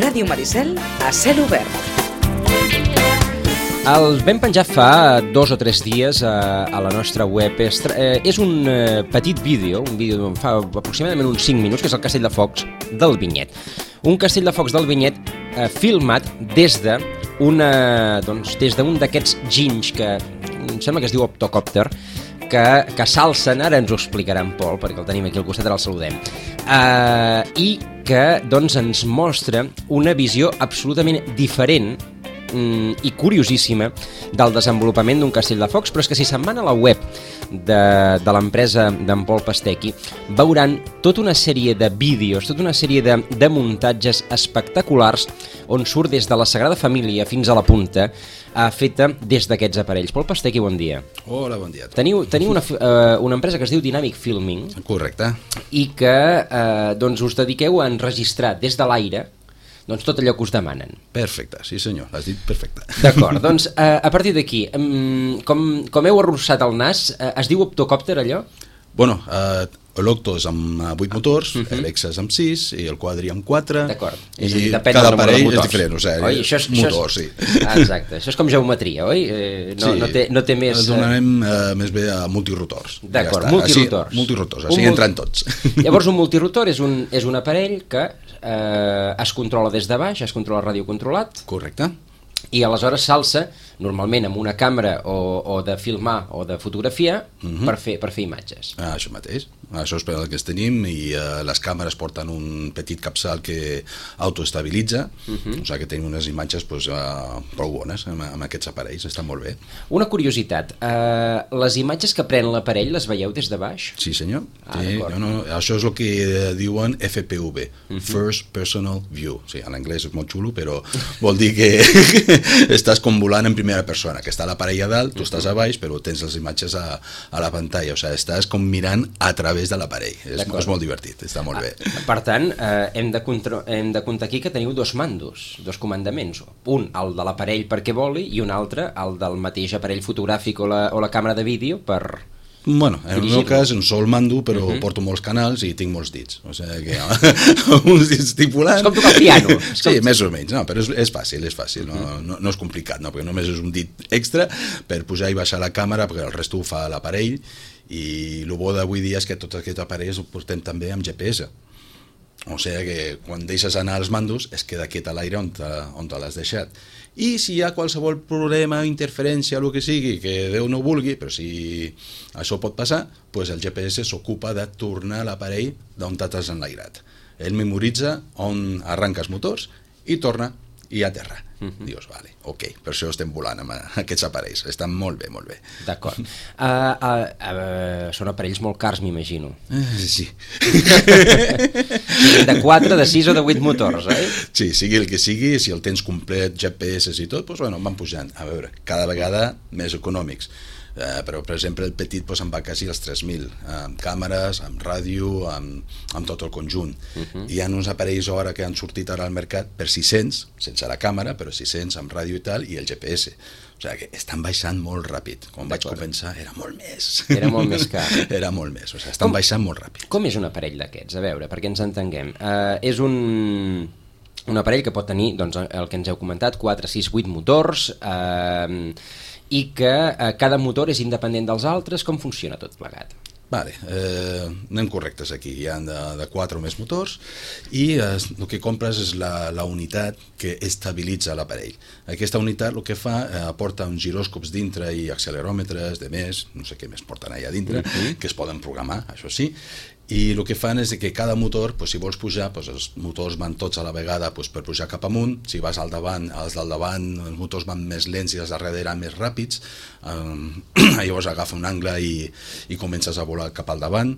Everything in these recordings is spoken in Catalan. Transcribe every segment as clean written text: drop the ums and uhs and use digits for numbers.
Ràdio Maricel a cel obert. El vam penjar fa 2 o 3 dies a la nostra web. És un petit vídeo, un vídeo fa aproximadament uns 5 minuts, que és el Castell de Focs del Vinyet. Un Castell de Focs del Vinyet filmat des d'un d'aquests ginys que em sembla que es diu Optocòpter, que s'alcen, ara ens ho explicarà en Pol, perquè el tenim aquí al costat, ara el saludem, i que doncs, ens mostra una visió absolutament diferent i curiosíssima del desenvolupament d'un castell de focs, però és que si se'n van a la web de l'empresa d'en Pol Pastecchi veuran tota una sèrie de vídeos, tota una sèrie de muntatges espectaculars on surt des de la Sagrada Família fins a la punta, feta des d'aquests aparells. Pol Pastecchi, bon dia. Hola, bon dia. Teniu una empresa que es diu Dynamic Filming. Correcte. I que doncs us dediqueu a enregistrar des de l'aire doncs tot allò que us demanen. Perfecte, sí senyor, l'has dit perfecte. D'acord, doncs a partir d'aquí, com heu arrossat el nas, es diu Optocòpter allò? Bueno, l'Octo és amb 8 motors, l'Exa és amb 6 i el Quadri amb 4. D'acord. I cada aparell és diferent, o sigui, motors, sí. Exacte, això és com geometria, oi? No té més... El donarem més bé a multirotors. D'acord, multirotors. Multirotors, així entran tots. Llavors un multirotor és un aparell que es controla des de baix, es controla radiocontrolat. Correcte. I aleshores s'alça normalment amb una càmera o de filmar o de fotografia per fer imatges. Això mateix, això és per el que tenim, i les càmeres porten un petit capçal que autoestabilitza, o sigui que tenim unes imatges prou bones amb aquests aparells, està molt bé. Una curiositat, les imatges que pren l'aparell les veieu des de baix? Sí senyor, això és el que diuen FPV, First Personal View, sí, en anglès és molt xulo, però vol dir que estàs com volant en primera persona, que està l'aparell a dalt, tu estàs a baix, però tens les imatges a la pantalla, o sigui, estàs com mirant a través de l'aparell, és molt divertit, està molt bé. Per tant, hem de comptar aquí que teniu 2 mandos, 2 comandaments, un, el de l'aparell perquè voli, i un altre, el del mateix aparell fotogràfic o la càmera de vídeo per... Bueno, en el meu cas, un sol mando, però porto molts canals i tinc molts dits. O sigui que uns dits estipulants... És com tocar el piano. Sí, més o menys, però és fàcil, no és complicat, perquè només és un dit extra per pujar i baixar la càmera, perquè el resto ho fa l'aparell, i el bo d'avui dia és que tots aquests aparells ho portem també amb GPS. O sigui que quan deixes anar els mandos es queda quiet a l'aire on te l'has deixat. I si hi ha qualsevol problema, interferència, el que sigui, que Déu no vulgui, però si això pot passar, doncs el GPS s'ocupa de tornar l'aparell d'on t'has enlairat. Ell memoritza on arranca els motors i torna i a terra. Dius, vale, ok, per això estem volant amb aquests aparells, estan molt bé, molt bé. D'acord. Són aparells molt cars, m'imagino. Sí. De 4, de 6 o de 8 motors, Sí, sigui el que sigui, si el tens complet, GPS i tot, doncs bueno, van pujant. A veure, cada vegada més econòmics. Però, per exemple, el petit se'n va quasi als 3.000, amb càmeres, amb ràdio, amb tot el conjunt. Hi ha uns aparells ara que han sortit ara al mercat per 600, sense la càmera, però 600 amb ràdio i tal, i el GPS. O sigui que estan baixant molt ràpid. Quan vaig començar era molt més. Era molt més car. Era molt més, o sigui, estan baixant molt ràpid. Com és un aparell d'aquests? A veure, perquè ens entenguem. És un aparell que pot tenir, doncs, el que ens heu comentat, 4, 6, 8 motors, i que cada motor és independent dels altres. Com funciona tot plegat? Vale, anem correctes aquí, hi ha de 4 o més motors, i el que compres és la unitat que estabilitza l'aparell. Aquesta unitat el que fa, porta uns giròscops dintre i acceleròmetres de més, no sé què més porten allà dintre, que es poden programar, això sí, i el que fan és que cada motor, si vols pujar, els motors van tots a la vegada per pujar cap amunt. Si vas al davant, els del davant, els motors van més lents i els darrere més ràpids, llavors agafa un angle i comences a volar cap al davant.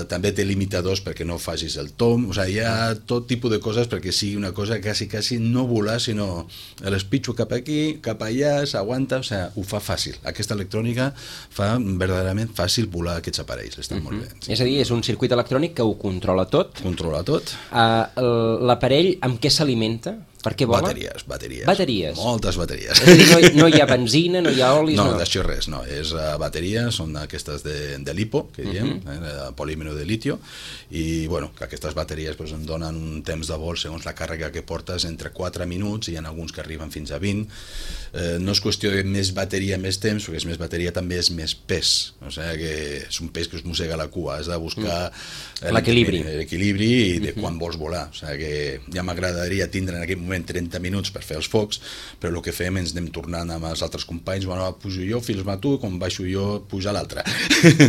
També té limitadors perquè no facis el tomb, o sigui, hi ha tot tipus de coses perquè sigui una cosa quasi no volar, sinó l'espitxo cap aquí, cap allà, s'aguanta, o sigui, ho fa fàcil. Aquesta electrònica fa verdaderament fàcil volar aquests aparells, estan molt bé. És a dir, és un circuit electrònic que ho controla tot. Controla tot. L'aparell amb què s'alimenta? Per què vola? Bateries. Moltes bateries. És a dir, no hi ha benzina, no hi ha olis... No, d'això res, no. És bateries, són aquestes de lipo, que diem, polímero de litio, i bueno, que aquestes bateries pues, em donen un temps de vol segons la càrrega que portes entre 4 minuts, i hi ha alguns que arriben fins a 20. No és qüestió de més bateria, més temps, perquè és més bateria també és més pes. O sigui que és un pes que us mossega la cua, has de buscar l'equilibri i de quan vols volar. O sigui que ja m'agradaria tindre en aquest moment 30 minuts per fer els focs, però el que fem ens anem tornant amb els altres companys, bueno, pujo jo, filma tu, quan baixo jo, puja l'altre.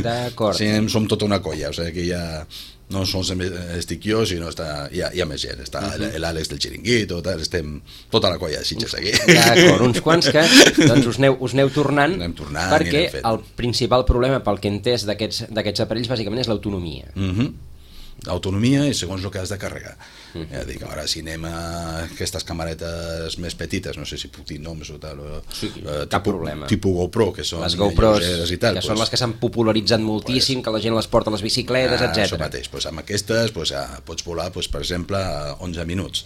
D'acord. Sí, som tota una colla, o sigui que ja no sols estic jo, sinó hi ha més gent, està l'Àlex del Xiringuito, estem tota la colla de Sitges aquí. D'acord, uns quants que doncs us aneu tornant, perquè el principal problema pel que he entès d'aquests aparells bàsicament és l'autonomia. Autonomia i segons el que has de carregar. Ja dic, ara si anem a aquestes camaretes més petites, no sé si puc dir noms o tal, cap problema. Tipus GoPro, que són les GoPros, i tal, que són les que s'han popularitzat moltíssim, que la gent les porta a les bicicletes, etc. Això mateix, amb aquestes pots volar, per exemple, a 11 minuts.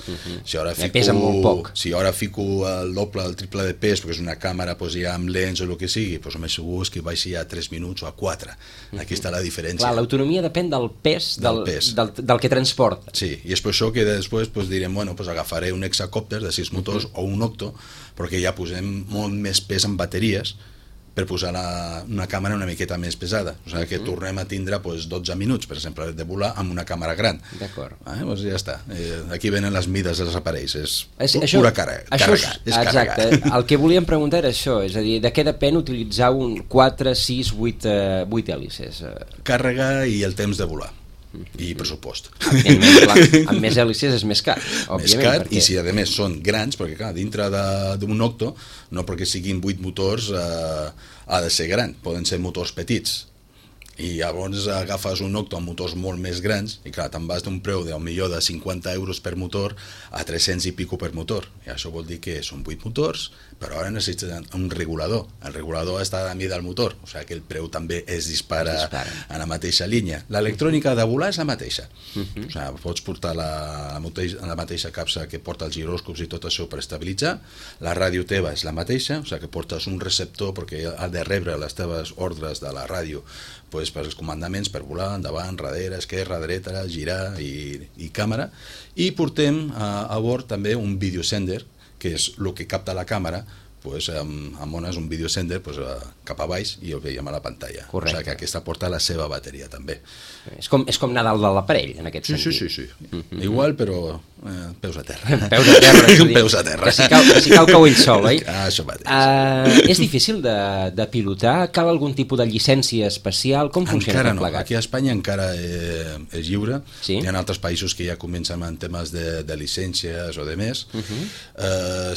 Pesen molt poc. Si ara fico el doble, el triple de pes, perquè és una càmera ja amb lents o el que sigui, el més segur és que baixi a 3 minuts o a 4. Aquí està la diferència. Clar, l'autonomia depèn del pes del que transporta. Sí, i és per això que després direm, agafaré un hexacòpter de 6 motors o un octo, perquè ja posem molt més pes en bateries per posar una càmera una miqueta més pesada. O sigui que tornem a tindre 12 minuts, per exemple, de volar amb una càmera gran. D'acord. Ja està. Aquí venen les mides dels aparells. És pura càrrega. Exacte. El que volíem preguntar era això, és a dir, de què depèn utilitzar un 4, 6, 8 hèlices? Càrrega i el temps de volar. I pressupost. Amb més hèlices és més car, òbviament. Més car, i si a més són grans, perquè clar, dintre d'un octo, no perquè siguin 8 motors ha de ser gran, poden ser motors petits. I llavors agafes un octo amb motors molt més grans i clar, te'n vas d'un preu de millor de 50 euros per motor a 300 i pico per motor. I això vol dir que són 8 motors, però ara necessites un regulador. El regulador està a la mida del motor, o sigui que el preu també es dispara en la mateixa línia. L'electrònica de volar és la mateixa. O sigui, pots portar la mateixa capsa que porta els giròscops i tot això per estabilitzar. La ràdio teva és la mateixa, o sigui que portes un receptor perquè ha de rebre les teves ordres de la ràdio per als comandaments per volar, endavant, darrere, esquerra, dreta, girar i càmera. I portem a bord també un videosender, que és el que capta la càmera, amb ones un videosender cap a baix i el veiem a la pantalla. Correcte. O sigui que aquesta porta la seva bateria també. És com anar dalt de l'aparell, en aquest sentit. Sí. Igual, però peus a terra. Peus a terra. Que si cau ell sol, oi? Això mateix. És difícil de pilotar? Cal algun tipus de llicència especial? Com funciona tot plegat? Aquí a Espanya encara és lliure. Sí? Hi ha altres països que ja comencen amb temes de llicències o de més.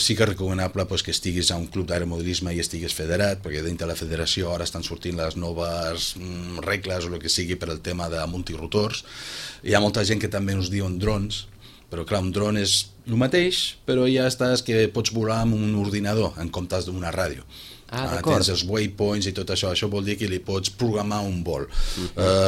Sí que és recomanable que estiguis a un club d'aeromodelisme i estigues federat, perquè dintre de la federació ara estan sortint les noves regles o el que sigui per al tema de multirotors. Hi ha molta gent que també ens diuen drons, però clar, un dron és el mateix, però ja estàs que pots volar amb un ordinador en comptes d'una ràdio. Tens els waypoints i tot això vol dir que li pots programar un vol.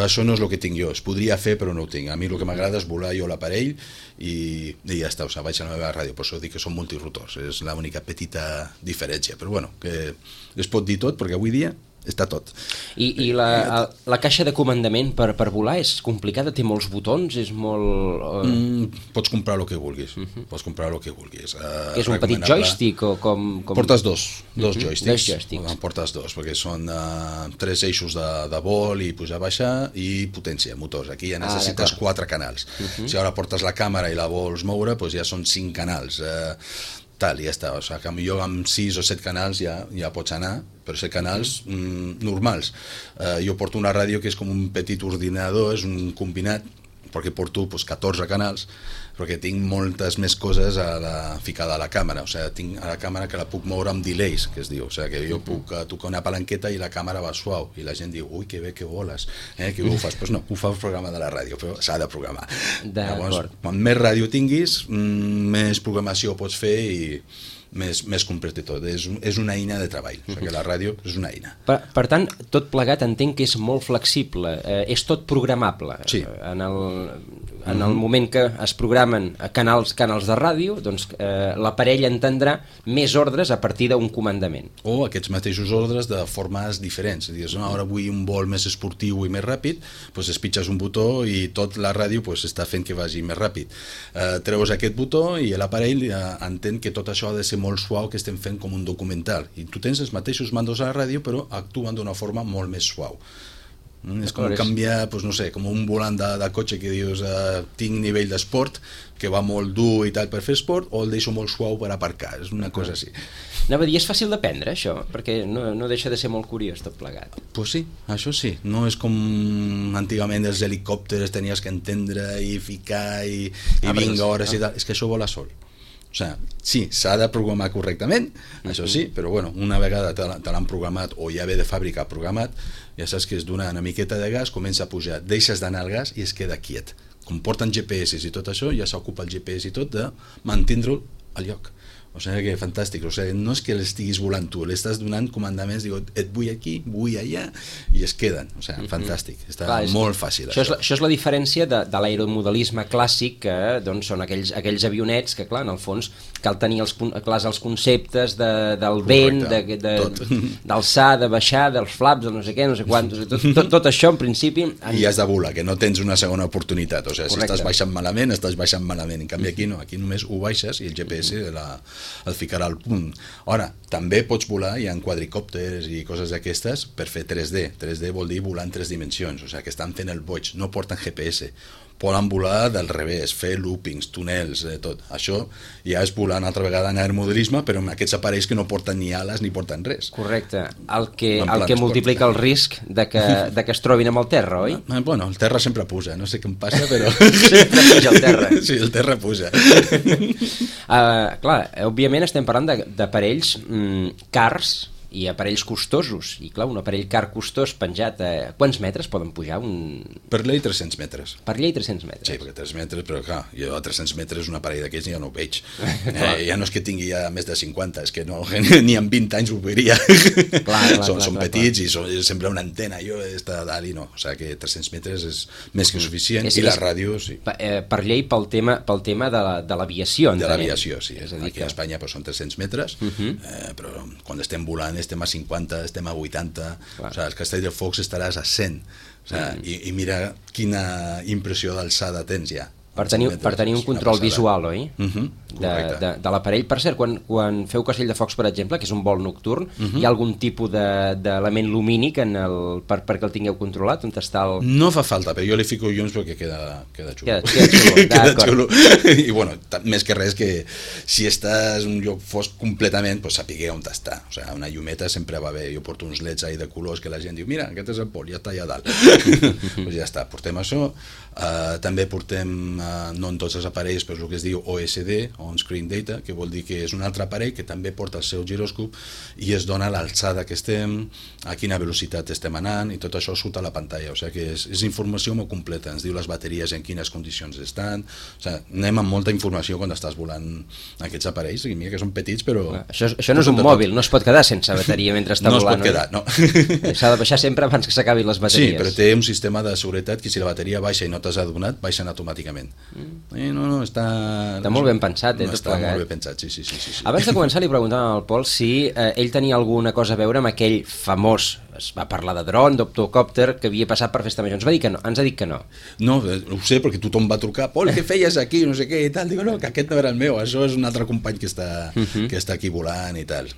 Això no és el que tinc jo, es podria fer però no ho tinc. A mi el que m'agrada és volar jo l'aparell i ja està, vaig a la meva ràdio, per això dic que són multirotors, és l'única petita diferència, però bueno, que es pot dir tot perquè avui dia està tot. I la caixa de comandament per volar és complicada? Té molts botons? És molt... Pots comprar el que vulguis. És un petit joystick o com... Portes dos joysticks. Portes dos, perquè són 3 eixos de vol i pujar-baixar i potència, motors. Aquí ja necessites 4 canals. Si ara portes la càmera i la vols moure, ja són 5 canals. I ja està, o sigui que millor amb 6 o 7 canals ja pots anar, però 7 canals normals. Jo porto una ràdio que és com un petit ordinador, és un combinat, perquè porto 14 canals, perquè tinc moltes més coses ficada a la càmera, o sigui, tinc a la càmera que la puc moure amb delays, que es diu, o sigui, que jo puc tocar una palanqueta i la càmera va suau, i la gent diu, ui, que bé que voles, que ho fas? Doncs no, ho fa el programa de la ràdio, però s'ha de programar. Llavors, quan més ràdio tinguis, més programació pots fer i més complet i tot. És una eina de treball, o sigui que la ràdio és una eina. Per tant, tot plegat entenc que és molt flexible, és tot programable. Sí. en el moment que es programen canals de ràdio, doncs l'aparell entendrà més ordres a partir d'un comandament. O aquests mateixos ordres de formats diferents. Dius, no, ara vull un vol més esportiu i més ràpid, doncs pitges un botó i tot la ràdio està fent que vagi més ràpid. Treus aquest botó i l'aparell entén que tot això ha de ser molt suau, que estem fent com un documental. I tu tens els mateixos mandos a la ràdio, però actuen d'una forma molt més suau. És com canviar, no sé, com un volant de cotxe que dius tinc nivell d'esport, que va molt dur i tal per fer esport, o el deixo molt suau per aparcar, és una cosa així. Anava a dir, és fàcil d'aprendre això, perquè no deixa de ser molt curiós tot plegat. Pues sí, això sí, no és com antigament els helicòpters tenies que entendre i ficar i vinga hores i tal, és que això vola sol. O sigui, sí, s'ha de programar correctament, això sí, però bueno, una vegada te l'han programat o ja ve de fàbrica programat, ja saps que es dona una miqueta de gas, comença a pujar, deixes d'anar el gas i es queda quiet. Com porten GPS i tot això, ja s'ocupa el GPS i tot de mantindre'l al lloc. O sigui que fantàstic, o sigui, no és que l'estiguis volant tu, l'estàs donant comandaments, diu, et vull aquí, vull allà, i es queden, o sigui, fantàstic, està molt fàcil. Això és la diferència de l'aeromodelisme clàssic, que doncs, són aquells avionets que, clar, en el fons cal tenir clars els conceptes del vent, d'alçar, de baixar, dels flaps, de no sé què, no sé quantos, tot això en principi... I has de volar, que no tens una segona oportunitat, o sigui, si estàs baixant malament, estàs baixant malament, en canvi aquí no, aquí només ho baixes i el GPS el ficarà al punt. Ara, també pots volar, hi ha quadricòpters i coses d'aquestes per fer 3D. 3D vol dir volar en 3 dimensions, o sigui que estan fent el boig, no porten GPS. Poden volar del revés, fer loopings, túnels, tot. Això ja és volar una altra vegada en aeromodelisme, però amb aquests aparells que no porten ni ales ni porten res. Correcte. El que multiplica el risc de que es trobin amb el terra, oi? Bueno, el terra sempre puja, no sé què em passa, però... Sempre puja el terra. Sí, el terra puja. Clar, òbviament estem parlant d'aparells cars i aparells costosos, i clar, un aparell car costós penjat a quants metres poden pujar? Per llei 300 metres. Per llei 300 metres. Sí, perquè 3 metres, però clar, jo a 300 metres un aparell d'aquests ja no ho veig. Ja no és que tingui ja més de 50, és que no, ni en 20 anys ho veuria. Són petits i sembla una antena, jo està dalt i no, o sigui que 300 metres és més que suficient, i la ràdio, sí. Per llei pel tema de l'aviació. De l'aviació, sí. Aquí a Espanya són 300 metres, però quan estem volant estem a 50, estem a 80, o sigui, el Castell de Focs estaràs a 100, o sigui, i mira quina impressió d'alçada tens ja. Per tenir un control visual, oi? De l'aparell. Per cert, quan feu Castell de Focs, per exemple, que és un vol nocturn, hi ha algun tipus d'element lumínic perquè el tingueu controlat? On està el... No fa falta, però jo li fico llums perquè queda xulo. Queda xulo. I bueno, més que res que si estàs en un lloc fosc completament, doncs sapigueu on està. O sigui, una llumeta sempre va bé. Jo porto uns leds ahí de colors que la gent diu, mira, aquest és el pol, ja està allà dalt. Doncs ja està, portem això. També portem, no en tots els aparells, però el que es diu OSD, On-Screen Data, que vol dir que és un altre aparell que també porta el seu giròscop i es dona l'alçada que estem, a quina velocitat estem anant, i tot això surt a la pantalla. O sigui que és informació molt completa, ens diu les bateries en quines condicions estan, o sigui, anem amb molta informació quan estàs volant aquests aparells, i mira que són petits, però... Això no és un mòbil, no es pot quedar sense bateria mentre està volant. No es pot quedar, no. S'ha de baixar sempre abans que s'acabin les bateries. Sí, però té un sistema de seguretat que si la bateria baixa i no t'has adonat, baixen automàticament. Està molt ben pensat, està molt ben pensat, sí. Abans de començar li preguntàvem al Pol si ell tenia alguna cosa a veure amb aquell famós, es va parlar de dron, d'octocòpter, que havia passat per Festa Major. Ens ha dit que no. No, ho sé, perquè tothom va trucar, Pol, què feies aquí, no sé què, i tal. Digo, no, que aquest no era el meu, això és un altre company que està aquí volant i tal.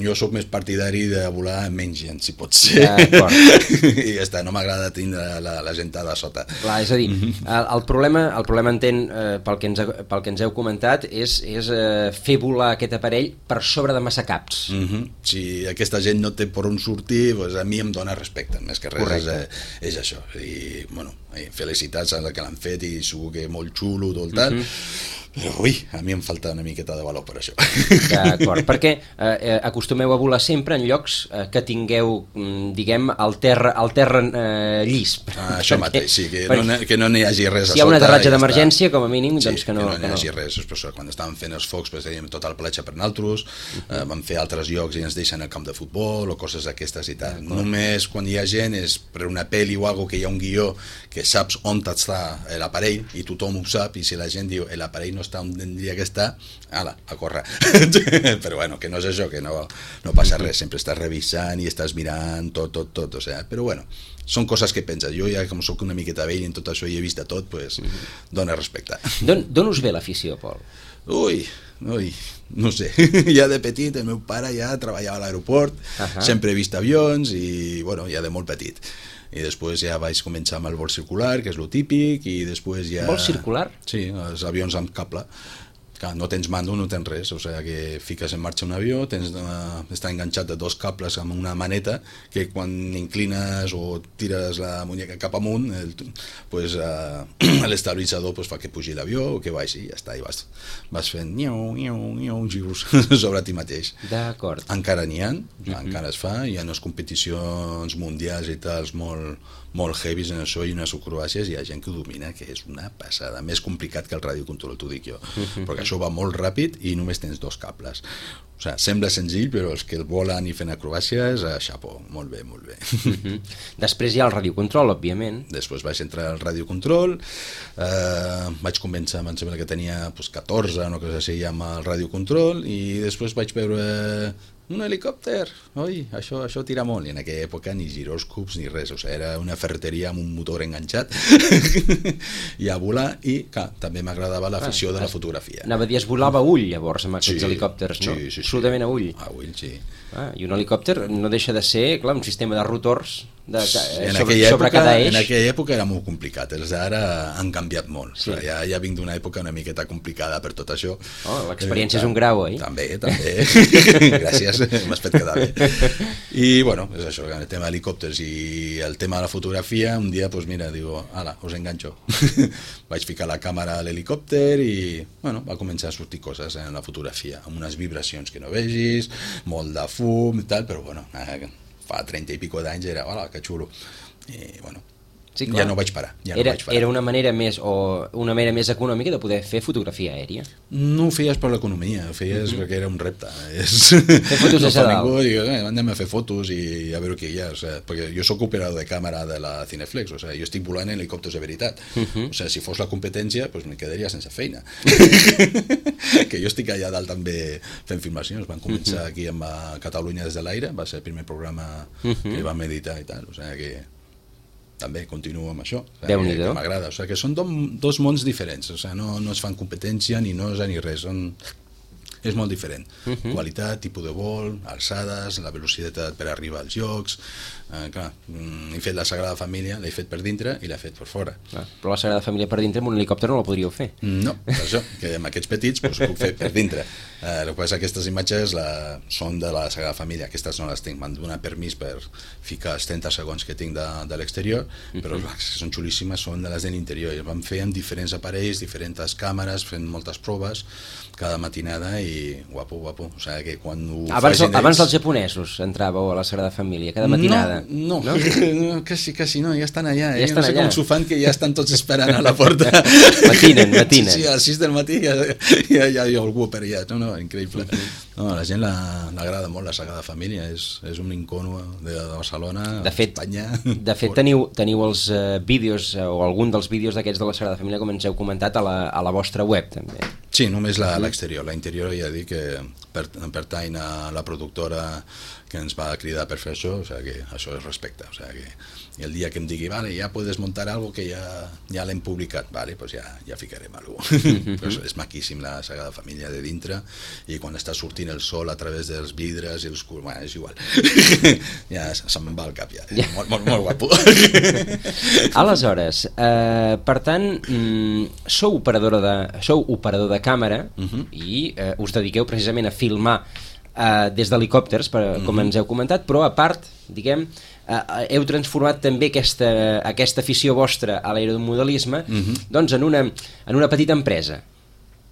Jo sóc més partidari de volar amb menys gent, si pot ser. I ja està, no m'agrada tindre la gentada a sota. Clar, és a dir, el problema entenc, pel que ens heu comentat, és fer volar aquest aparell per sobre de massa caps. Si aquesta gent no té per on sortir, a mi em dona respecte, més que res és això. I bueno, felicitats a la que l'han fet i segur que molt xulo tot tal, però ui, a mi em falta una miqueta de valor per això. D'acord, perquè acostumeu a volar sempre en llocs que tingueu, diguem, el terra llis. Això mateix, sí, que no n'hi hagi res a sota. Si hi ha un aterratge d'emergència, com a mínim, doncs que no n'hi hagi res. Quan estàvem fent els focs, teníem tota la platja per naltros, vam fer altres llocs i ens deixen al camp de futbol o coses d'aquestes i tal. Només quan hi ha gent és per una pel·li o alguna que hi ha un guió que que saps on està l'aparell i tothom ho sap, i si la gent diu l'aparell no està on tindria que estar, ala, a córrer. Però bueno, que no és això, que no passa res, sempre estàs revisant i estàs mirant tot, o sigui, però bueno, són coses que penses. Jo ja, com soc una miqueta vell en tot això i he vist de tot, pues, dona respecte. D'on us ve l'afició, Pol? Ui, no sé, ja de petit el meu pare ja treballava a l'aeroport, sempre he vist avions i bueno, ja de molt petit. I després ja vaig començar amb el vol circular, que és lo típic, i després ja... Vol circular? Sí, els avions amb cable. Que no tens mando, no tens res, o sigui que fiques en marxa un avió, està enganxat de 2 cables amb una maneta que quan inclines o tires la muñeca cap amunt, l'estabilitzador fa que pugi l'avió o que baixi, i ja està, i vas fent giros sobre ti mateix. D'acord. Encara n'hi ha, encara es fa, hi ha unes competicions mundials i tals molt heavies en això, i unes acrobàcies, hi ha gent que ho domina, que és una passada, més complicat que el radiocontrol, t'ho dic jo, perquè això va molt ràpid i només tens 2 cables. O sigui, sembla senzill, però els que el volen i fent acrobàcies, xapó, molt bé, molt bé. Després hi ha el radiocontrol, òbviament. Després vaig entrar al radiocontrol, vaig començar, em sembla que tenia 14 o una cosa així amb el radiocontrol, i després vaig veure un helicòpter, oi, això tira molt, i en aquella època ni giròscops ni res, o sigui, era una ferreteria amb un motor enganxat i a volar, i clar, també m'agradava l'afició de la fotografia. Anava a dir, es volava a ull llavors amb aquests helicòpters, no? Sí. Absolutament a ull. A ull, sí. I un helicòpter no deixa de ser, clar, un sistema de rotors sobre cada eix. En aquella època era molt complicat, els d'ara han canviat molt. Sí. Ja vinc d'una època una miqueta complicada per tot això. L'experiència és un grau, oi? També. Gràcies, m'has fet quedar bé. I bueno, és això, el tema d'helicòpters i el tema de la fotografia, un dia, doncs mira, digo, ala, us enganxo. Vaig ficar la càmera a l'helicòpter i, bueno, va començar a sortir coses en la fotografia, amb unes vibracions que no vegis, molt de fum i tal, però bueno, fa 30 i pico d'anys era, hola, que xulo. I bueno, sí, ja no vaig parar. Era una manera més econòmica de poder fer fotografia aèria? No ho feies per l'economia, ho feies perquè era un repte. Fer fotos de dalt. Anem a fer fotos i a veure què hi ha. Perquè jo sóc operador de càmera de la Cineflex, jo estic volant en helicòpters de veritat. Si fos la competència, me quedaria sense feina. Que jo estic allà dalt també fent filmacions. Van començar aquí a Catalunya des de l'aire, va ser el primer programa que vam editar i tal, o sigui que també continuo amb això, que m'agrada, o sigui que són dos mons diferents, o sigui, no es fan competència ni nosa ni res, és molt diferent. Qualitat, tipus de vol, alçades, la velocitat per arribar als llocs. Clar, he fet la Sagrada Família, l'he fet per dintre i l'he fet per fora. Però la Sagrada Família per dintre amb un helicòpter no la podríeu fer? No, per això, que amb aquests petits ho puc fer per dintre. El que passa, aquestes imatges són de la Sagrada Família, aquestes no les tinc, m'han donat permís per ficar els 30 segons que tinc de l'exterior, però les que són xulíssimes són de les de l'interior, i vam fer amb diferents aparells, diferents càmeres, fent moltes proves cada matinada, i guapo, o sigui que quan ho facin abans dels japonesos entràveu a la Sagrada Família, cada matinada? No, quasi no, ja estan allà, no sé com s'ho fan, que ja estan tots esperant a la porta. Matinen. Sí, a les 6 del matí ja hi ha algú per allà, no, increïble. No, a la gent l'agrada molt la Sagrada Família, és un icono de Barcelona, Espanya. De fet, teniu els vídeos, o algun dels vídeos d'aquests de la Sagrada Família, com ens heu comentat, a la vostra web, també. Sí, només l'exterior. L'interior ja dic que pertany a la productora que ens va cridar per fer això, o sigui que això és respecte, o sigui que el dia que em digui, vale, ja podes muntar algo que ja l'hem publicat, vale, pues ja ficarem alguna cosa. És maquíssim la Sagrada Família de dintre, i quan està sortint el sol a través dels vidres i els curs, bueno, és igual, ja se'm va al cap ja, molt guapo. Aleshores, per tant, sou operador de càmera i us dediqueu precisament a filmar des d'helicòpters, com ens heu comentat, però a part, diguem, heu transformat també aquesta afició vostra a l'aeromodelisme doncs en una petita empresa.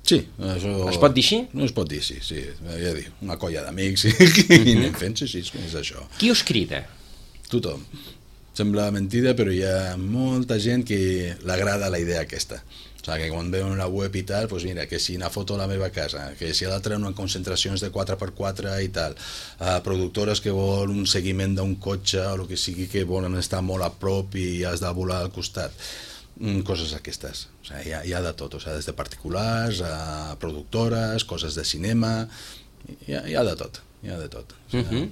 Sí, això... Es pot dir així? No es pot dir, sí, ja dic, una colla d'amics i anem fent, sí, és això. Qui us crida? Tothom. Sembla mentida, però hi ha molta gent que l'agrada la idea aquesta. O sigui, que quan veuen la web i tal, doncs mira, que si una foto a la meva casa, que si l'altra en concentracions de 4x4 i tal, productores que volen un seguiment d'un cotxe o el que sigui, que volen estar molt a prop i has de volar al costat, coses aquestes. O sigui, hi ha de tot, o sigui, des de particulars a productores, coses de cinema, hi ha de tot, hi ha de tot. O sigui,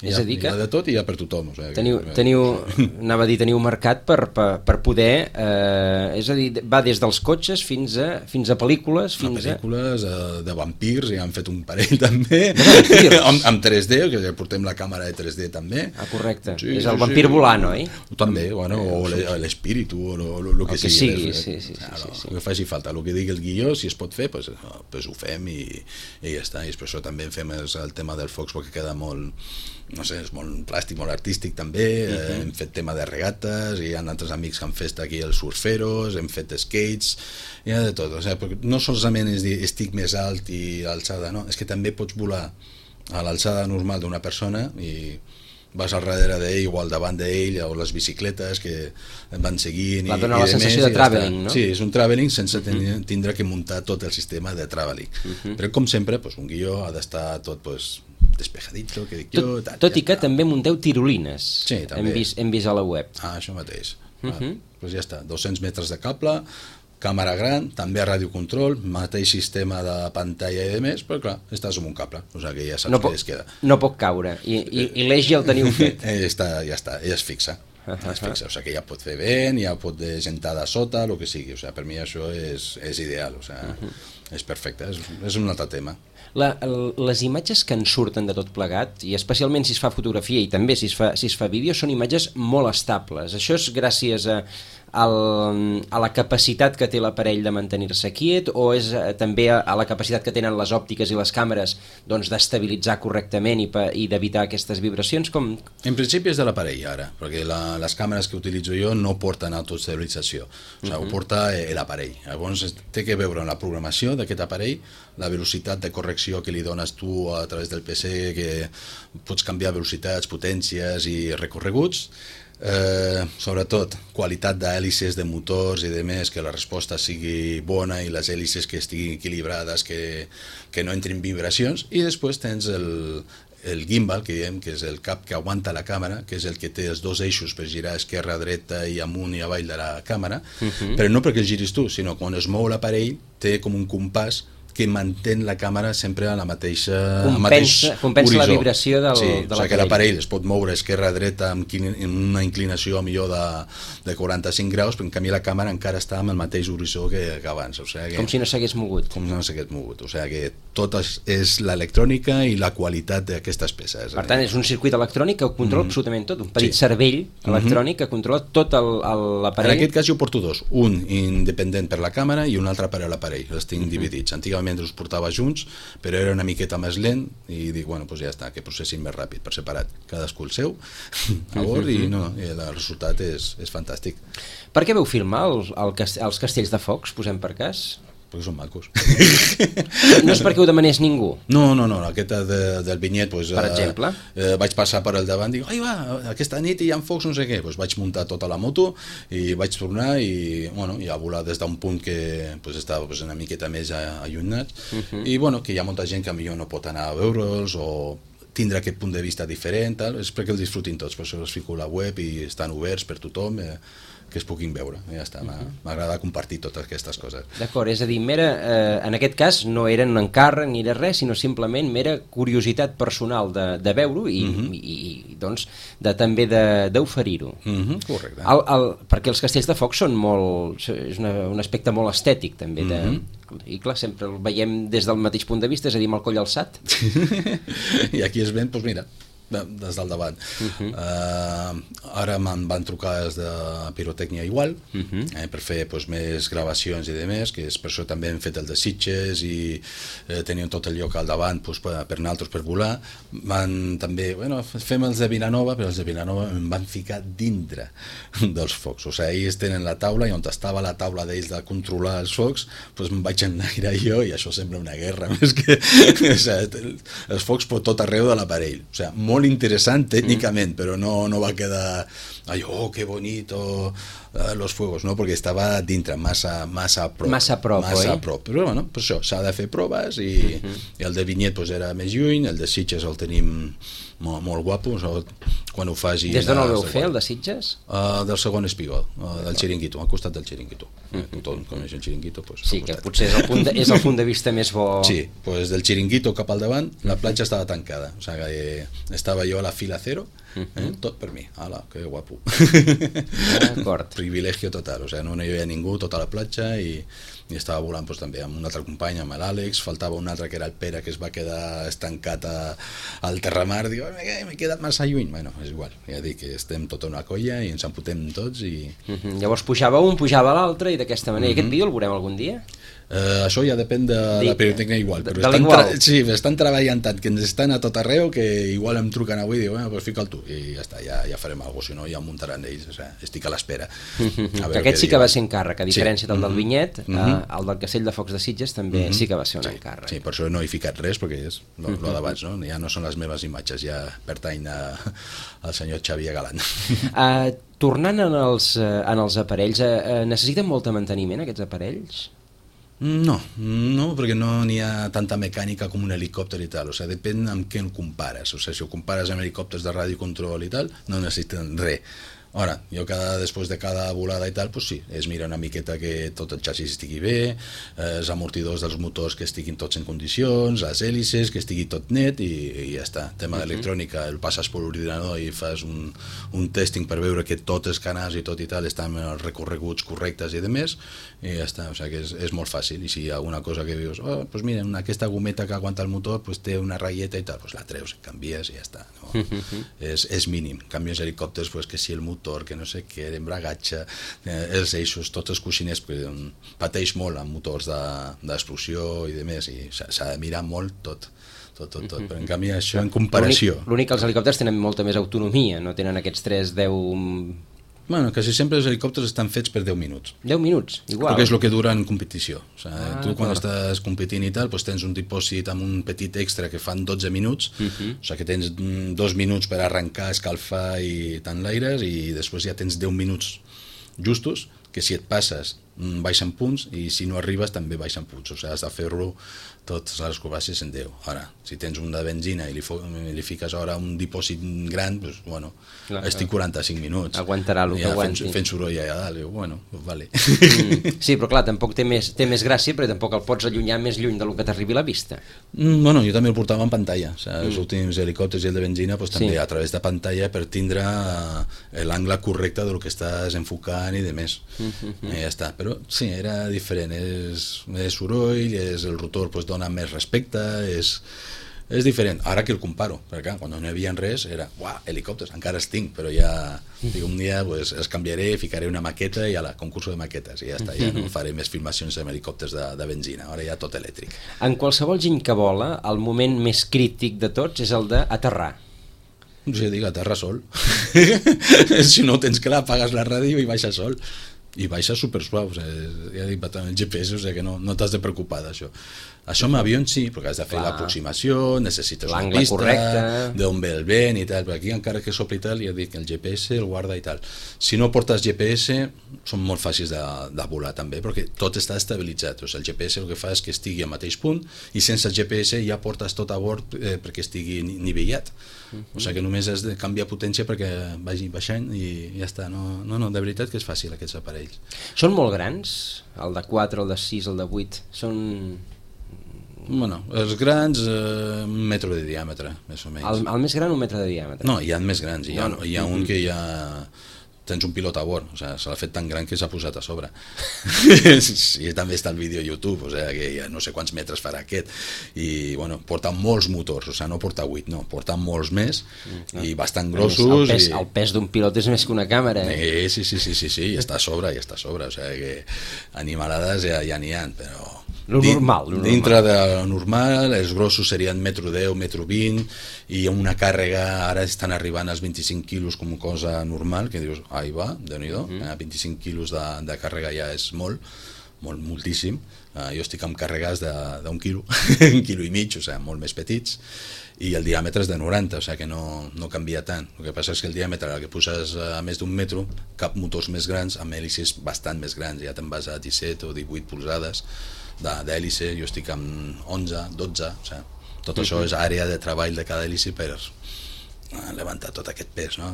és a dir que... Hi ha de tot i hi ha per tothom. O sigui, anava a dir, teniu mercat per poder... és a dir, va des dels cotxes fins a pel·lícules... Pel·lícules de vampirs, ja han fet un parell també, amb 3D, que portem la càmera de 3D també. Ah, correcte. Sí, és el vampir volant, oi? També, bueno, o l'espíritu, o el que sigui. Sí. El que faci falta, el que digui el guió, si es pot fer, pues ho fem i ja està. I per això també fem el tema del focs, perquè queda molt... no sé, és molt plàstic, molt artístic també. Hem fet tema de regates, hi ha altres amics que han fet aquí els surferos, hem fet skates, hi ha de tot. O sigui, no solament és dir estic més alt i alçada, no, és que també pots volar a l'alçada normal d'una persona i vas al darrere d'ell o al davant d'ell, o les bicicletes que et van seguint. Va donar la sensació de travelling, no? Sí, és un travelling sense tindre que muntar tot el sistema de travelling. Però com sempre, un guió ha d'estar tot despejadito, que dic jo... Tot i que també munteu tirolines. Sí, també. Hem vist a la web. Ah, això mateix. Doncs ja està, 200 metres de cable, càmera gran, també a radiocontrol, mateix sistema de pantalla i de més, però clar, estàs amb un cable, o sigui que ja saps que es queda. No pot caure, i l'eix ja el teniu fet. Ja està, ella es fixa. O sigui que ja pot fer vent, ja pot de gentada a sota, el que sigui. O sigui, per mi això és ideal, o sigui, és perfecte, és un altre tema. Les imatges que en surten de tot plegat, i especialment si es fa fotografia i també si es fa vídeo, són imatges molt estables. Això és gràcies a la capacitat que té l'aparell de mantenir-se quiet, o és també a la capacitat que tenen les òptiques i les càmeres d'estabilitzar correctament i d'evitar aquestes vibracions? En principi és de l'aparell ara, perquè les càmeres que utilitzo jo no porten autoestabilització, o sigui, ho porta l'aparell. Llavors té que veure en la programació d'aquest aparell la velocitat de correcció que li dones tu a través del PC, que pots canviar velocitats, potències i recorreguts. Sobretot qualitat d'hèlices de motors i de més, que la resposta sigui bona i les hèlices que estiguin equilibrades, que no entrin vibracions. I després tens el gimbal, que diem que és el cap que aguanta la càmera, que és el que té els dos eixos per girar a esquerra, a dreta i amunt i avall de la càmera, però no perquè el giris tu, sinó quan es mou l'aparell té com un compàs que mantén la càmera sempre a la mateixa compensa la vibració del l'aparell. O sigui que l'aparell es pot moure esquerra-dreta amb una inclinació millor de 45 graus, però en canvi la càmera encara està amb el mateix horitzó que abans. O sigui que, com si no s'hagués mogut. Com si no s'hagués mogut. O sigui que tot és l'electrònica i la qualitat d'aquestes peces. Per tant, és un circuit electrònic que ho controla absolutament tot, un petit cervell electrònic que controla tot l'aparell. En aquest cas jo porto dos, un independent per la càmera i un altre per a l'aparell, els tinc dividits. Antigament els portava junts, però era una miqueta més lent i dic, bueno, doncs ja està, que processin més ràpid, per separat, cadascú el seu a bord, i el resultat és fantàstic. Per què veu filmar els castells de focs, posem per cas? Perquè són macos. No és perquè ho demanés ningú? No, aquest del vinyet, pues, per exemple? Vaig passar per al davant i dic, ai va, aquesta nit hi ha focs, no sé què, pues vaig muntar tota la moto i vaig tornar i a volar des d'un punt que estava una miqueta més allunyat, i que hi ha molta gent que potser no pot anar a veure'ls o tindre aquest punt de vista diferent, és perquè el disfrutin tots, per això els fico a la web i estan oberts per tothom, que es puguin veure, ja està, m'agrada compartir totes aquestes coses. D'acord, és a dir, en aquest cas no era un encàrrec ni de res, sinó simplement mera curiositat personal de veure-ho i doncs també d'oferir-ho. Correcte. Perquè els castells de foc són és un aspecte molt estètic també, i clar, sempre el veiem des del mateix punt de vista, és a dir, amb el coll alçat. I aquí es ven, doncs mira, des del davant. Ara me'n van trucar des de pirotècnia igual, per fer més gravacions i demés, que és per això també hem fet el de Sitges i teníem tot el lloc al davant per nosaltres per volar. També, fem els de Vilanova, però els de Vilanova em van ficar dintre dels focs, o sigui, ells tenen la taula i on estava la taula d'ells de controlar els focs, em vaig enlairar jo i això sembla una guerra més que els focs per tot arreu de l'aparell, o sigui, molt molt interessant tècnicament, però no va quedar ay, oh, qué bonito los fuegos, no? Perquè estava dintre, massa prop, però bueno, per això s'ha de fer proves i el de Vinyet pues, era més lluny, el de Sitges el tenim molt guapo, quan ho fas... Des d'on el veu fer, el de Sitges? Del segon espigol, del Xiringuito, al costat del Xiringuito. Tothom coneix el Xiringuito. Pues, sí, que potser és el punt de vista més bo... Sí, pues del Xiringuito cap al davant, la platja estava tancada, o sigui que estava jo a la fila 0, tot per mi, ala, que guapo. D'acord. Privilegio total, o sigui, no hi havia ningú, tota la platja, i estava volant pues, també amb un altre company, amb l'Àlex, faltava un altre que era el Pere, que es va quedar estancat al terramar, diu, m'he quedat massa lluny, bueno, és igual, ja dic que estem tota una colla i ens emputem tots i... Llavors pujava un, pujava l'altre i d'aquesta manera, aquest vídeo el veurem algun dia? Això ja depèn de la pirotècnica igual, però estan treballant tant que ens estan a tot arreu que igual em truquen avui i diuen, bueno, pues fica'l tu i ja està, ja farem alguna cosa, si no ja em muntaran ells, o sigui, estic a l'espera. Aquest sí que va ser encàrrec, a diferència del Vinyet, el del Castell de Focs de Sitges també sí que va ser un encàrrec. Sí, per això no he ficat res, perquè és el d'abans, no? Ja no són les meves imatges, ja pertany al senyor Xavier Galant. Tornant en els aparells, necessiten molt de manteniment aquests aparells? No, perquè no n'hi ha tanta mecànica com un helicòpter i tal, o sigui, depèn amb què el compares, o sigui, si ho compares amb helicòpters de radiocontrol i tal, no necessiten res. Ara, jo després de cada volada i tal, pues sí, es mira una miqueta que tot el xassís estigui bé, els amortidors dels motors que estiguin tots en condicions, les hèlices, que estigui tot net i ja està. Tema d'electrònica, el passes per l'ordinador i fas un testing per veure que tots els canals i tot i tal estan en els recorreguts correctes i demés, i ja està, o sigui que és molt fàcil, i si hi ha alguna cosa que dius, pues mira, aquesta gometa que aguanta el motor pues té una ratlleta i tal, pues la treus, canvies i ja està, no? És mínim. En canvi els helicòpters, pues que si el motor, que no sé què, l'embragatge, els eixos, tots els coixiners, pateix molt amb motors d'explosió i demés, i s'ha de mirar molt tot. Però en canvi això en comparació... L'únic que els helicòpters tenen molta més autonomia, no tenen aquests 3-10... Bueno, quasi sempre els helicòpters estan fets per 10 minuts. 10 minuts, igual. Perquè és el que dura en competició. O sigui, tu quan estàs competint i tal, doncs tens un dipòsit amb un petit extra que fan 12 minuts, o sigui que tens 2 minuts per arrencar, escalfar i t'enlaires, i després ja tens 10 minuts justos, que si et passes baixen punts, i si no arribes també baixen punts, o sigui, has de fer-lo totes les curvacies en 10. Ara, si tens un de benzina i li fiques ara un dipòsit gran, doncs, bueno, estic 45 minuts. Aguantarà el que aguanti. Fent soroll allà dalt, bueno, doncs vale. Sí, però clar, tampoc té més gràcia, però tampoc el pots allunyar més lluny del que t'arribi a la vista. Bueno, jo també el portava en pantalla, o sigui, els últims helicòpters i el de benzina, doncs també a través de pantalla per tindre l'angle correcte del que estàs enfocant i demés. Ja està, però sí, era diferent, és soroll, el rotor dona més respecte, és diferent. Ara que el comparo, perquè quan no hi havia res era, uah, helicòpters, encara els tinc, però ja un dia els canviaré, ficaré una maqueta i a la concurso de maquetes i ja està, ja no faré més filmacions amb helicòpters de benzina, ara ja tot elèctric. En qualsevol gent que vola, el moment més crític de tots és el d'aterrar. O sigui, aterra sol. Si no tens clar, apagues la ràdio i baixa sol. I baixa supersuau, o sigui, ja dic, el GPS, o sigui que no t'has de preocupar d'això. Això amb avions sí, perquè has de fer l'aproximació, necessites una pista, d'on ve el vent i tal, però aquí encara que sopli tal, ja dic, el GPS el guarda i tal. Si no portes GPS, són molt fàcils de volar també, perquè tot està estabilitzat, o sigui, el GPS el que fa és que estigui al mateix punt, i sense el GPS ja portes tot a bord perquè estigui nivellat, o sigui que només has de canviar potència perquè vagi baixant i ja està. No, de veritat que és fàcil aquests aparells. Són molt grans? El de 4, el de 6, el de 8, són... Bueno, els grans, 1 metre de diàmetre, més o menys. El més gran, 1 metre de diàmetre? No, hi ha més grans, hi ha un que ja tens un pilot a bord, o sigui, se l'ha fet tan gran que s'ha posat a sobre. I també està el vídeo a YouTube, o sigui, que ja no sé quants metres farà aquest, i bueno, porta molts motors, o sigui, no porta 8, no, porta molts més, i bastant grossos. El pes d'un pilot és més que una càmera. Sí, i està a sobre, o sigui que animalades ja n'hi ha, però... Lo normal. Dintre de lo normal, els grossos serien 1,10 m, 1,20 m, i una càrrega, ara estan arribant als 25 quilos com cosa normal, que dius, ahí va, Déu-n'hi-do, 25 quilos de càrrega ja és molt, moltíssim. Jo estic amb càrregues d'un quilo, un quilo i mig, o sigui, molt més petits, i el diàmetre és de 90, o sigui que no canvia tant. El que passa és que el diàmetre, el que poses a més d'un metro, cap motors més grans, amb hèlices bastant més grans, ja te'n vas a 17 o 18 polzades d'hèlice, jo estic amb 11, 12, o sigui, tot això és àrea de treball de cada hèlice per levantar tot aquest pes, no?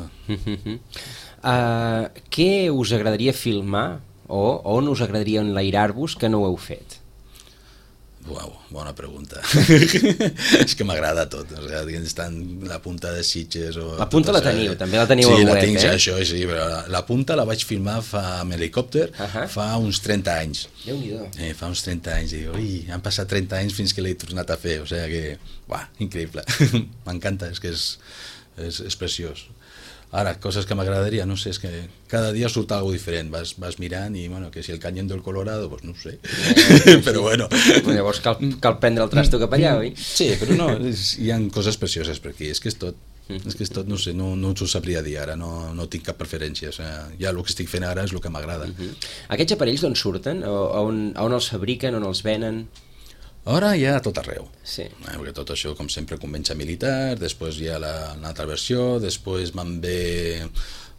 Què us agradaria filmar o on us agradaria enlairar-vos que no ho heu fet? Uau, bona pregunta. És que m'agrada tot, o sigui, estan la punta de Sitges o la punta la teniu, també la teniu sí, al web, la tinc, això, sí, però la punta la vaig filmar amb helicòpter fa uns 30 anys. Déu-n'hi-do. Fa uns 30 anys, i dic, han passat 30 anys fins que l'he tornat a fer, o sigui que, uah, increïble. M'encanta, és que és preciós. Ara, coses que m'agradaria, no sé, és que cada dia surt alguna diferent, vas mirant i, bueno, que si el Cañón del Colorado, pues no ho sé, però bueno. Llavors cal prendre el trasto cap allà, oi? Sí, però no, hi ha coses precioses per aquí, és que és tot, no sé, no us ho sabria dir ara, no tinc cap preferència, o sigui, ja el que estic fent ara és el que m'agrada. Aquests aparells d'on surten? On els fabriquen, on els venen? Ara hi ha tot arreu, sí. Perquè tot això, com sempre, convença militar, després hi ha l'altra versió, després van ve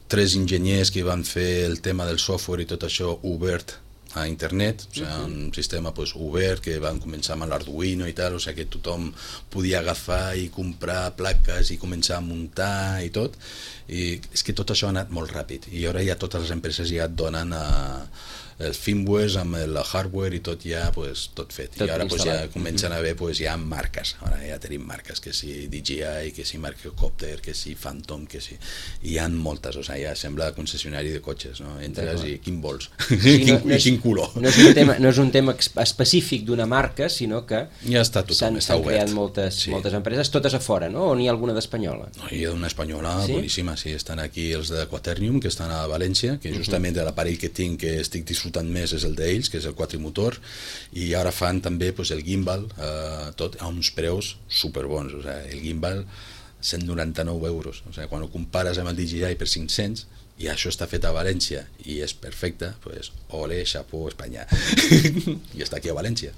3 enginyers que van fer el tema del software i tot això obert a internet, o sigui, un sistema pues, obert que van començar amb l'Arduino i tal, o sigui que tothom podia agafar i comprar plaques i començar a muntar i tot, i és que tot això ha anat molt ràpid i ara ja totes les empreses ja et donen els firmwares amb el hardware i tot ja pues, tot fet, tot i ara pues, ja comencen a haver pues, ja marques, ara ja tenim marques, que si DJI, que si Markocopter, que si Phantom, que si... hi ha moltes, o sigui, ja sembla concessionari de cotxes, no? Entres i quin vols, sí, quin color. No és un tema específic d'una marca, sinó que ja està tothom, està obert. S'han creat moltes empreses, totes a fora, no? O n'hi ha alguna d'espanyola? No, hi ha una espanyola boníssima, sí, estan aquí els de Quaternium, que estan a València, que justament l'aparell que tinc, que estic disfrutant més és el d'ells, que és el quadrimotor, i ara fan també pues, el gimbal, tot a uns preus superbons, o sigui, el gimbal 199 euros, o sigui, quan ho compares amb el DJI per 500 i això està fet a València i és perfecte, pues, ole, xapó, Espanya. I està aquí a València,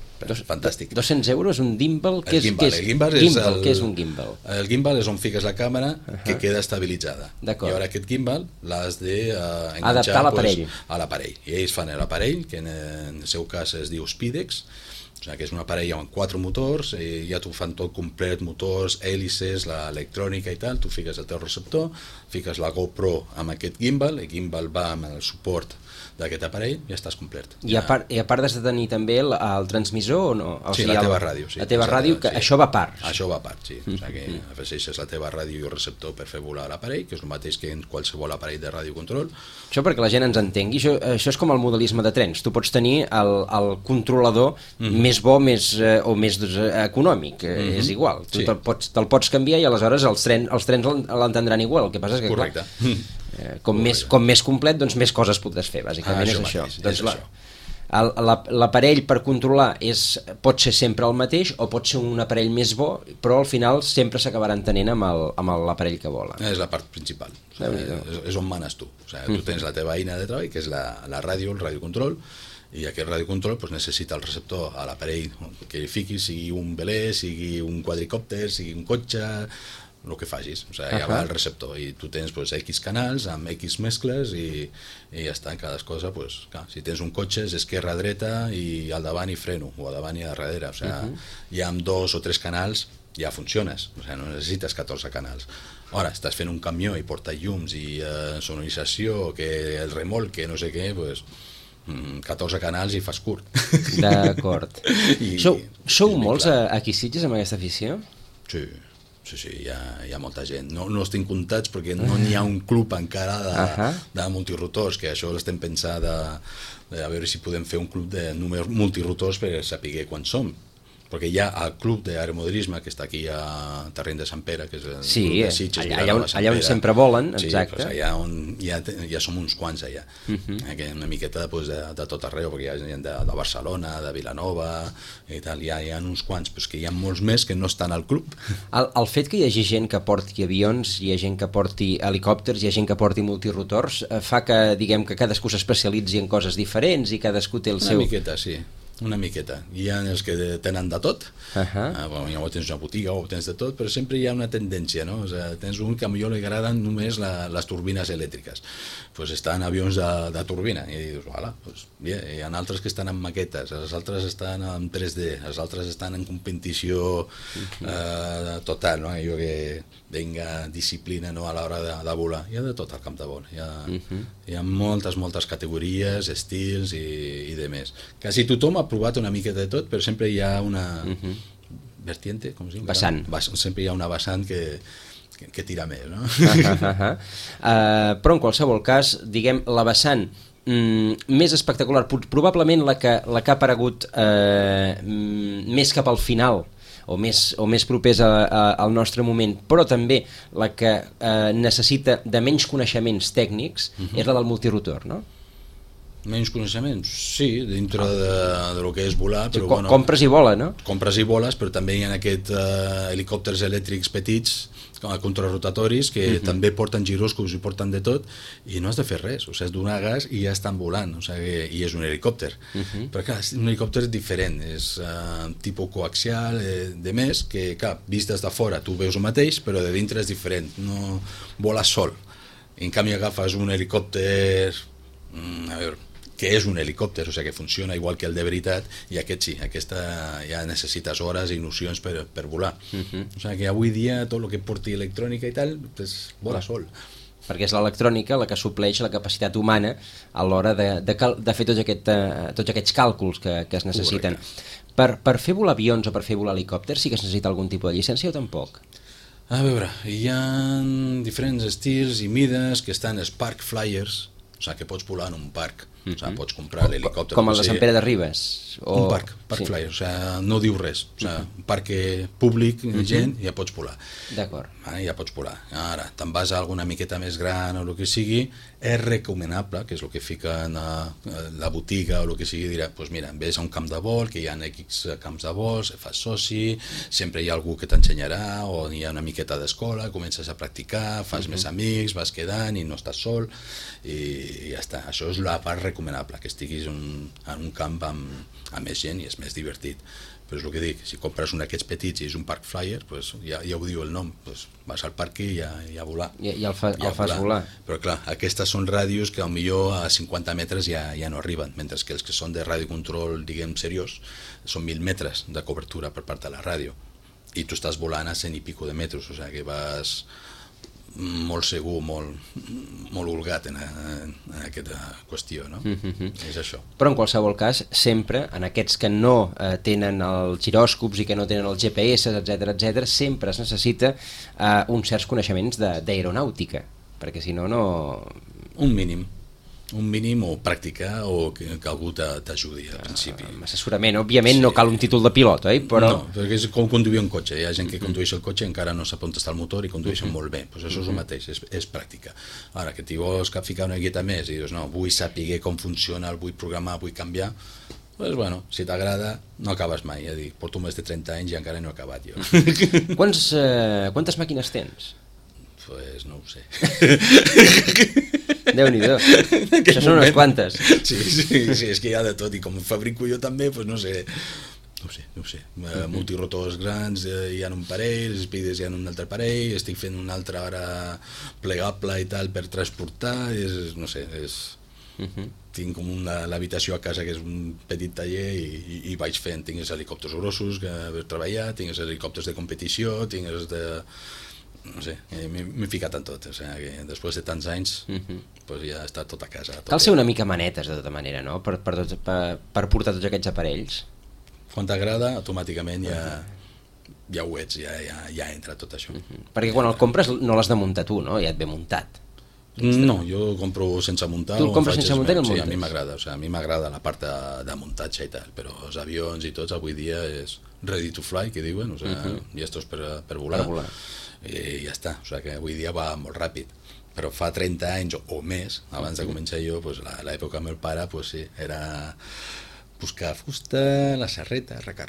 fantàstic. 200 euros un gimbal? Què és un gimbal? El gimbal és on fiques la càmera que queda estabilitzada. I ara aquest gimbal l'has d'adaptar a l'aparell. A l'aparell. I ells fan l'aparell, que en el seu cas es diu Speedex, o sigui, que és un aparell amb 4 motors, i ja t'ho fan tot complet, motors, hèlices, l'electrònica i tal, tu fiques el teu receptor, fiques la GoPro amb aquest gimbal, el gimbal va amb el suport d'aquest aparell i ja estàs complet. I a part has de tenir també el transmissor o no? Sí, la teva ràdio. La teva ràdio, que això va a part. Això va a part, sí. O sigui que afegeixes la teva ràdio i el receptor per fer volar l'aparell, que és el mateix que en qualsevol aparell de radiocontrol. Això perquè la gent ens entengui, això és com el modelisme de trens. Tu pots tenir el controlador més bo o més econòmic, és igual. Tu te'l pots canviar i aleshores els trens l'entendran igual. El que passa és que, correcte. Com més complet, doncs més coses podràs fer, bàsicament és això. L'aparell per controlar pot ser sempre el mateix o pot ser un aparell més bo, però al final sempre s'acabarà entenent amb l'aparell que vola. És la part principal, és on manes tu. Tu tens la teva eina de treball, que és la ràdio, el radiocontrol, i aquest radiocontrol necessita el receptor a l'aparell que hi fiquis, sigui un velè, sigui un quadricòpter, sigui un cotxe, el que facis, o sigui, ja va el receptor i tu tens X canals amb X mescles i ja està, cada cosa, clar, si tens un cotxe és esquerra, dreta i al davant i freno, o al davant i a darrere, o sigui, ja amb 2 o 3 canals ja funciones, o sigui, no necessites 14 canals. Ara, estàs fent un camió i porta llums i sonorització, que el remolque, no sé què, 14 canals i fas curt. D'acord. Sou molts aquí a Sitges amb aquesta afició? Sí, hi ha molta gent. No els tinc comptats perquè no n'hi ha un club encara de multirotors, que això l'estem pensant a veure si podem fer un club de números multirotors per saber quan som. perquè hi ha el club d'aeromodelisme que està aquí a Terreny de Sant Pere, que és el sí, club de Sitges, allà on sempre volen, exacte. Sí, allà on ja som uns quants allà, que una miqueta pues, de tot arreu, perquè hi ha gent de Barcelona, de Vilanova i tal, hi ha uns quants, però que hi ha molts més que no estan al club. El fet que hi hagi gent que porti avions, hi ha gent que porti helicòpters, hi ha gent que porti multirotors, fa que, diguem, que cadascú s'especialitzi en coses diferents i cadascú té el seu... Una miqueta, sí. Una miqueta. Hi ha els que tenen de tot, bueno, ja tens una botiga o tens de tot, però sempre hi ha una tendència, no? O sigui, tens un que a millor li agraden només les turbines elèctriques, pues estan avions de turbina, i dius, hola, pues, bé, hi ha altres que estan en maquetes, els altres estan en 3D, els altres estan en competició total, no? Jo que vinga disciplina, no? A l'hora de volar, hi ha de tot al camp de vol, hi ha moltes categories, estils i de més. Quasi tothom ha provat una mica de tot, però sempre hi ha una vertiente, com es diu? Vessant. Sempre hi ha una vessant que tira més, no? Però en qualsevol cas, diguem, la vessant més espectacular, probablement la que ha aparegut més cap al final, o més propers al nostre moment, però també la que necessita de menys coneixements tècnics, és la del multirotor, no? Menys coneixements? Sí, dintre de lo que és volar, però bueno... Compres i vola, no? Compres i voles, però també hi ha aquests helicòpters elèctrics petits, contrarrotatoris, que també porten giròscops i porten de tot, i no has de fer res, o sigui, has donar gas i ja estan volant, o sigui, i és un helicòpter. Però clar, un helicòpter és diferent, és tipus coaxial, de més, que clar, vist des de fora tu veus el mateix, però de dintre és diferent, no voles sol. En canvi agafes un helicòpter, a veure, que és un helicòpter, o sigui que funciona igual que el de veritat, i aquest sí, aquesta ja necessites hores i nocions per volar. O sigui que avui dia tot el que porti electrònica i tal, pues, vola sol. Perquè és l'electrònica la que supleix la capacitat humana a l'hora de fer tots aquests càlculs que es necessiten. Per fer volar avions o per fer volar helicòpters sí que es necessita algun tipus de llicència o tampoc? A veure, hi ha diferents estils i mides que estan Spark Flyers, o sigui que pots volar en un parc, o sigui, pots comprar l'helicòpter. Com el de Sant Pere de Ribes? Un parc flyer, o sigui, no diu res, o sigui, un parc públic, gent, ja pots volar. D'acord. Ja pots volar. Ara, te'n vas a alguna miqueta més gran o el que sigui, és recomanable, que és el que fiquen a la botiga o el que sigui, dirà, doncs mira, vés a un camp de vol, que hi ha X camps de vol, fas soci, sempre hi ha algú que t'ensenyarà, o hi ha una miqueta d'escola, comences a practicar, fas més amics, vas quedant i no estàs sol, i ja està. Això és la part recomanable, que estiguis en un camp amb més gent i és més divertit. Però és el que dic, si compres un d'aquests petits i és un park flyer, pues ja ho diu el nom, pues vas al parc i ja a volar. Ja el fas volar. Però clar, aquestes són ràdios que potser a 50 metres ja no arriben, mentre que els que són de radiocontrol, diguem, seriós, són 1.000 metres de cobertura per part de la ràdio. I tu estàs volant a 100 i pico de metres, o sigui que vas molt segur, molt holgat en aquesta qüestió, no? És això. Però en qualsevol cas, sempre, en aquests que no tenen els giròscops i que no tenen els GPS, etc., sempre es necessita uns certs coneixements d'aeronàutica, perquè si no, Un mínim o pràctica o que algú t'ajudi al principi. Assessorament, òbviament no cal un títol de pilot, però... No, perquè és com conduir un cotxe. Hi ha gent que condueix el cotxe i encara no sap on està el motor i condueixen molt bé. Pues això és el mateix, és pràctica. Ara, que t'hi vols ficar una guieta més i dius, no, vull saber com funciona, el vull programar, vull canviar, doncs bueno, si t'agrada, no acabes mai. Ja dic, porto més de 30 anys i encara no he acabat jo. Quantes màquines tens? Pues no ho sé. Déu-n'hi-do. Això són unes quantes. Sí, és que hi ha de tot, i com fabrico jo també, pues no sé. Multirotors grans hi ha un parell, speeders hi ha un altre parell, estic fent un altre ara plegable i tal per transportar, no sé, tinc com l'habitació a casa que és un petit taller i vaig fent, tinc els helicòpters grossos per treballar, tinc els helicòpters de competició, tinc els de... no sé, m'he ficat en tot, o sigui que després de tants anys pues ja està tot a casa. Cal ser una mica manetes de tota manera, no?, per portar tots aquests aparells. Quan t'agrada, automàticament ja ho ets, ja entra tot això. Perquè quan el compres no l'has de muntar tu, no?, ja et ve muntat. No, jo compro sense muntar. Tu el compres sense muntar i el Sí, muntes? a mi m'agrada, a mi m'agrada la part de muntatge i tal, però els avions i tots avui dia és ready to fly, que diuen, ja estos per volar. Per volar. I ja està, que avui dia va molt ràpid. Però fa 30 anys o més, abans de començar jo, l'època del meu pare, sí, era buscar fusta, la serreta, raca,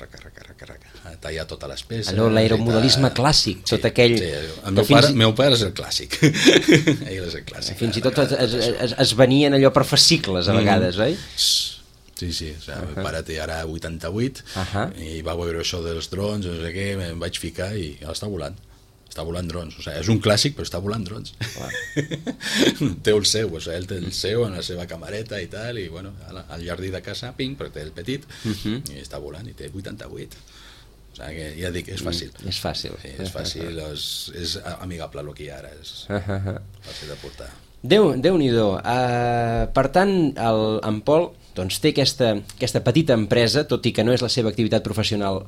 tallar totes les peces... Allò, l'aeromodelisme clàssic, tot aquell... Sí, el meu pare és el clàssic. Ell és el clàssic. Fins i tot es venien allò per fascicles, a vegades, oi? Sí, el meu pare té ara 88 i va veure això dels drons, no sé què, em vaig ficar i està volant. Està volant drons, és un clàssic però està volant drons. Té el seu, ell té el seu en la seva camareta i tal, i bueno, al jardí de casa, ping, perquè té el petit, i està volant i té 88. Que ja dic, és fàcil. És fàcil. Sí, és fàcil, és amigable el que hi ha ara, és fàcil de portar. Déu-n'hi-do. Per tant, en Pol té aquesta petita empresa, tot i que no és la seva activitat professional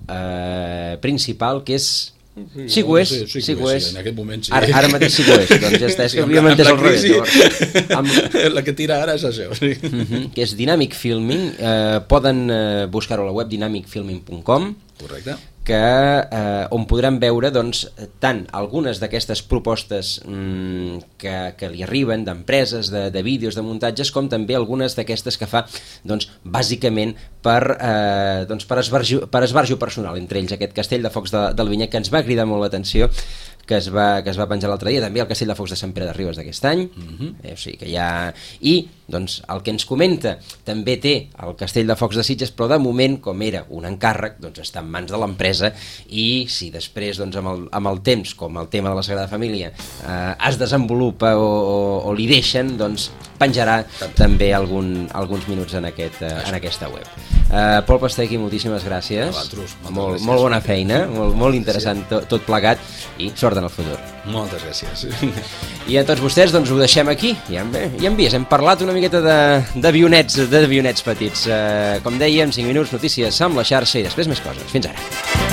principal, que és... Sí que ho és, en aquest moment sí. Ara mateix sí que ho és, doncs ja està, és que havíem entès al revés. La que tira ara és això. Que és Dynamic Filming, poden buscar-ho a la web dynamicfilming.com. Correcte. On podran veure tant algunes d'aquestes propostes que li arriben d'empreses, de vídeos, de muntatges, com també algunes d'aquestes que fa bàsicament per esbarjo personal, entre ells aquest Castell de Focs del Vinyet, que ens va cridar molt l'atenció, que es va penjar l'altre dia, també el Castell de Focs de Sant Pere de Ribes d'aquest any, o sigui que ja... I el que ens comenta també té el Castell de Focs de Sitges, però de moment, com era un encàrrec, està en mans de l'empresa, i si després amb el temps, com el tema de la Sagrada Família, es desenvolupa o li deixen, penjarà també alguns minuts en aquesta web. Pol Pastequi, moltíssimes gràcies. A vosaltres, molt bona feina, molt interessant tot plegat, i sort en el futur. Moltes gràcies. I a tots vostès ho deixem aquí. I en vies, hem parlat una miqueta d'avionets petits. Com dèiem, 5 minuts, notícies amb la xarxa i després més coses. Fins ara.